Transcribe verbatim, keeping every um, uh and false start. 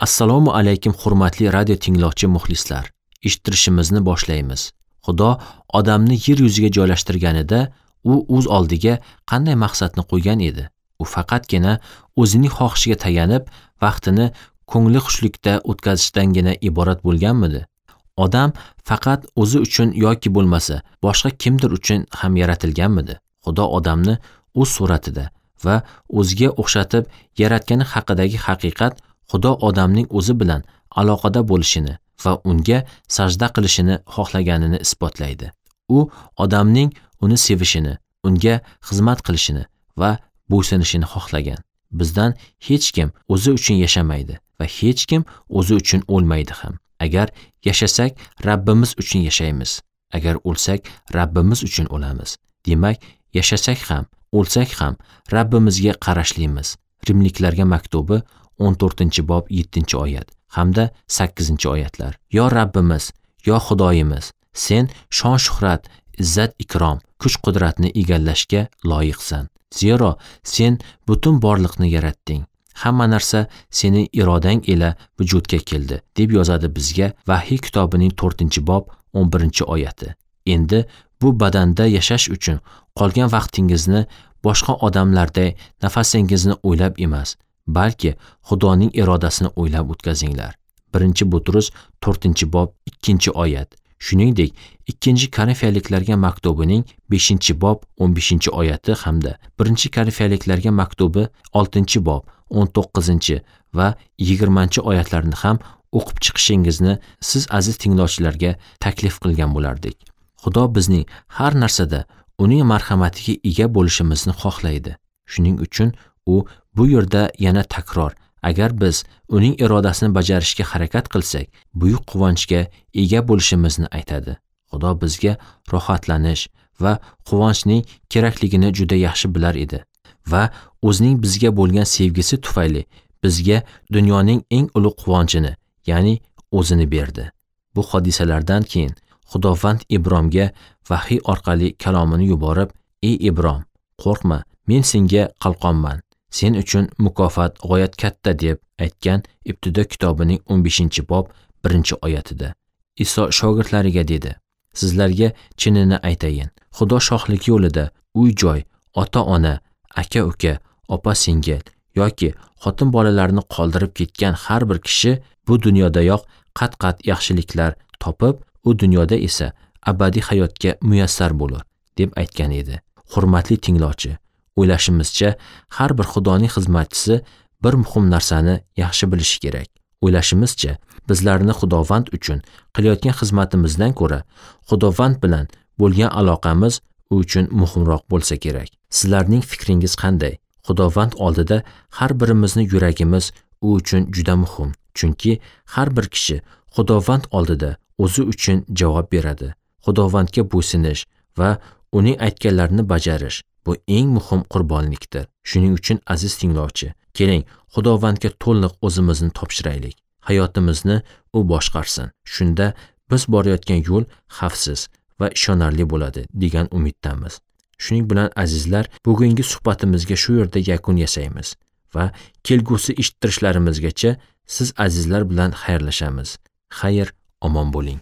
Assalomu alaykum hurmatli radio tinglovchi muxlislar. Eshittirishimizni boshlaymiz. Xudo odamni yer yuziga joylashtirganida u o'z oldiga qanday maqsadni qo'ygan edi? U faqatgina o'zining xohishiga tayanib, vaqtini ko'ngli xushlikda o'tkazishdangina iborat bo'lganmidi? Odam faqat o'zi uchun yoki bo'lmasa boshqa kimdir uchun ham yaratilganmidi? Xudo odamni o'z suratida va o'ziga o'xshatib yaratgani haqidagi haqiqat Xudo odamning o'zi bilan aloqada bo'lishini va unga sajda qilishini xohlaganini isbotlaydi. U odamning uni sevishini, unga xizmat qilishini va bo'ysunishini xohlagan. Bizdan hech kim o'zi uchun yashamaydi va hech kim o'zi uchun o'lmaydi ham. Agar yashasak, Rabbimiz uchun yashaymiz. Agar o'lsak, Rabbimiz uchun o'lamiz. Demak, yashasak ham, o'lsak ham Rabbimizga qarashlimiz. Rimliklarga maktubi o'n to'rtinchi bob yettinchi oyat hamda sakkizinchi oyatlar. Yo Rabbimiz, yo Xudoyimiz, sen shon-shuhrat, izzat-ikrom, kuch-qudratni egallashga loyiqsan. Zero sen butun borliqni yaratding. Hamma narsa sening irodang ila vujudga keldi, deb yozadi bizga Vahiy kitobining to'rtinchi bob o'n birinchi oyati. Endi bu badanda yashash uchun qolgan vaqtingizni boshqa odamlarday nafasingizni o'ylab emas, balki Xudoning irodasini o'ylab o'tkazinglar. Birinchi Butrus to'rtinchi bob ikkinchi oyat. Shuningdek, ikkinchi Korinfiyaliklarga maktubining beshinchi bob o'n beshinchi oyati hamda birinchi Korinfiyaliklarga maktubi oltinchi bob o'n to'qqizinchi va yigirmanchi oyatlarni ham o'qib chiqishingizni siz aziz tinglovchilarga taklif qilgan bo'lardik. Xudo bizning har narsada uning marhamatiga ega bo'lishimizni xohlaydi. Shuning uchun u bu yerda yana takror, agar biz uning irodasini bajarishga harakat qilsak, buyuk quvonchga ega bo'lishimizni aytadi. Xudo bizga rohatlanish va quvonchning kerakligini juda yaxshi bilar edi va o'zining bizga bo'lgan sevgisi tufayli bizga dunyoning eng ulug' quvonchini, ya'ni o'zini berdi. Bu hodisalardan keyin Xudovand Ibromga vahiy orqali kalomini yuborib, "Ey Ibrom, qo'rqma, men senga qalqonman. Sen uchun mukofot g'oyat katta" deb aytgan Ibtido kitobining o'n beshinchi bob birinchi oyatida. Iso shogirdlariga dedi: "Sizlarga chinini aytayin, Xudo shohligi yo'lida uy-joy, ota-ona, aka-uka, opa-singil yoki xotin bolalarni qoldirib ketgan har bir kishi bu dunyodayoq qat-qat yaxshiliklar topib, u dunyoda esa abadiy hayotga muyassar bo'lur" deb aytgan edi. Hurmatli tinglovchi, o'ylashimizcha har bir Xudoning xizmatchisi bir muhim narsani yaxshi bilishi kerak. O'ylashimizcha, bizlarni Xudovand uchun qilayotgan xizmatimizdan ko'ra Xudovand bilan bo'lgan aloqamiz u uchun muhimroq bo'lsa kerak. Sizlarning fikringiz qanday? Xudovand oldida har birimizni yuragimiz u uchun juda muhim. Chunki har bir kishi Xudovand oldida o'zi uchun javob beradi. Xudovandga bo'ysunish va uning aytganlarini bajarish bu eng muhim qurbonlikdir. Shuning uchun aziz tinglovchi, keling Xudovandga to'liq o'zimizni topshiraylik. Hayotimizni u boshqarsin. Shunda biz borayotgan yo'l xavfsiz va ishonarli bo'ladi degan umiddamiz. Shuning bilan azizlar, bugungi suhbatimizga shu yerda yakun yasaymiz va kelgusi eshittirishlarimizgacha siz azizlar bilan xayrlashamiz. Xayr, omon bo'ling.